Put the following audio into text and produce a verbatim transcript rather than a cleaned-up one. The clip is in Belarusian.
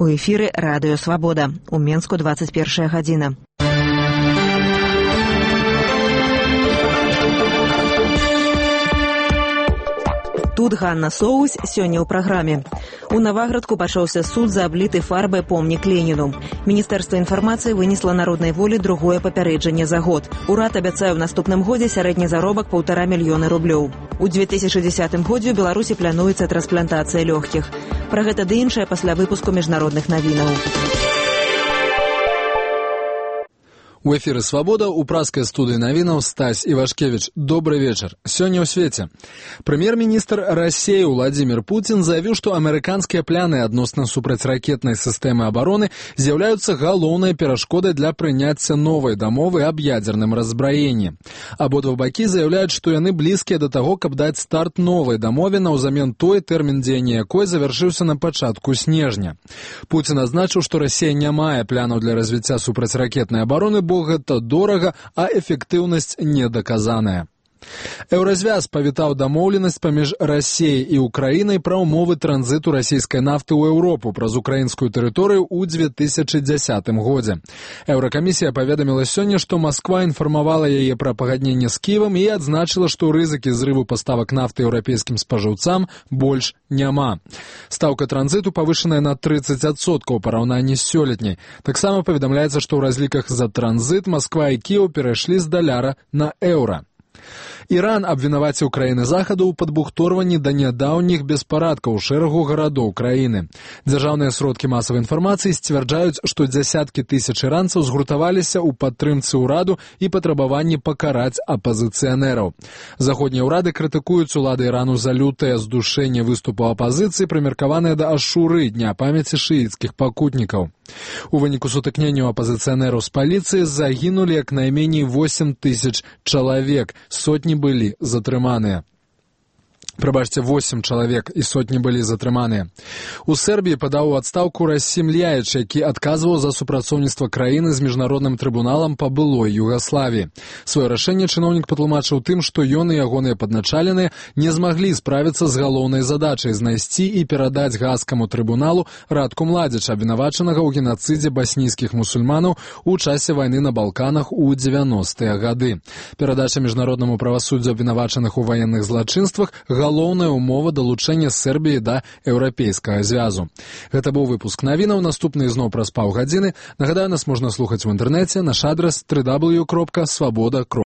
У эфіры радыё «Свабода». У Менску двадцать першая гадзіна. Тут Ганна Соусь сёння ў праграме. У Наваградку пачаўся суд за абліты фарбай помнік Леніну. Міністэрства інфармацыі вынесла народнай волі другое папярэджанне за год. Урад абяцае ў наступным годзе сярэдні заробак паўтара мільёны рублёў. У две тысячы дзесятым годзе ў Беларусі плануецца трансплантацыя лёгкіх. Пра гэта ды іншае пасля выпуску міжнародных навінаў. У эфіры «Свабода» у праскай студыі навінаў Стась Івашкевіч. Добрый вечар. Сёння ў свеце. Прэм'ер-міністр Расіі Владзімір Пуцін заявіў, што амерыканскія пляны адносна супрацьракетнай сістэмы абароны з'яўляюцца галоўнай перашкодай для прыняцця новай дамовы аб ядзерным раззбраенні. Абодва бакі заяўляюць, што яны блізкія да таго, каб даць старт новай дамове наўзамен той, тэрмін дзеяння якой завяршыўся на пачатку снежня. Пуцін адзначыў, што Расія не мае планаў для развіцця супрацьракетнай абароны, бо гэта дорага, а эфектыўнасць недаказаная. Еўразвяз павітаў дамоўленасць паміж Расіяй і Украінай пра ўмовы транзіту расійскай нафты ў Еўропу праз украінскую тэрыторыю ў две тысячы дзясятым годзе. Еўракамісія паведаміла сёння, што Масква інфармавала яе пра пагадненне з Кіевам і адзначыла, што рызыкі зрыву паставак нафты еўрапейскім спажыўцам больш няма. Стаўка транзіту павышаная на трыццаць адсоткаў у параўнанні з сёлетняй. Таксама паведамляецца, што ў разліках за транзіт Масква і Кіеў перайшлі з даляра на еўра. Іран абвінаваціў краіны захаду ў падбухторванні да нядаўніх беспарадкаў у шэрагу гарадоў краіны. Дзяржаўныя сродкі масавай інфармацыі сцвярджаюць, што дзясяткі тысяч іранцаў згуртаваліся ў падтрымцы ўраду і патрабаванні пакараць апазіцыянераў. Заходнія ўрады крытыкуюць улады Ірану за лютае здушэнне выступу апазіцыі, прымеркаванае да ашуры, дня памяці шыіцкіх пакутнікаў. У выніку сутыкненняў апазіцыянераў з паліцыі загінулі як найменей восем тысяч чалавек, сотні былі затрыманыя. Прабачце, восем чалавек і сотні былі затрыманыя. У Сербіі падаў у адстаўку Расім Ляіч, які адказваў за супрацоўніцтва краіны з міжнародным трыбуналам па былой Югаславіі. Сваё рашэнне чыноўнік патлумачыў тым, што ён і ягоныя падначаленыя не змаглі справіцца з галоўнай задачай знайсці і перадаць гаагскаму трыбуналу Радку Младзіча, абвінавачанага ў генацыдзе баснійскіх мусульманаў у часе вайны на Балканах у дзевяностыя гады. Перадача міжнароднаму правасуддзю абвінавачаных у ваенных злачынствах галоўная умова далучэння Сербіі да еўрапейскага звязу. Гэта быў выпуск навінаў, наступны зноў праз паўгадзіны. Нагадаю, нас можна слухаць у інтэрнэце, наш адрас дабл ю дабл ю дабл ю кропка свабода кропка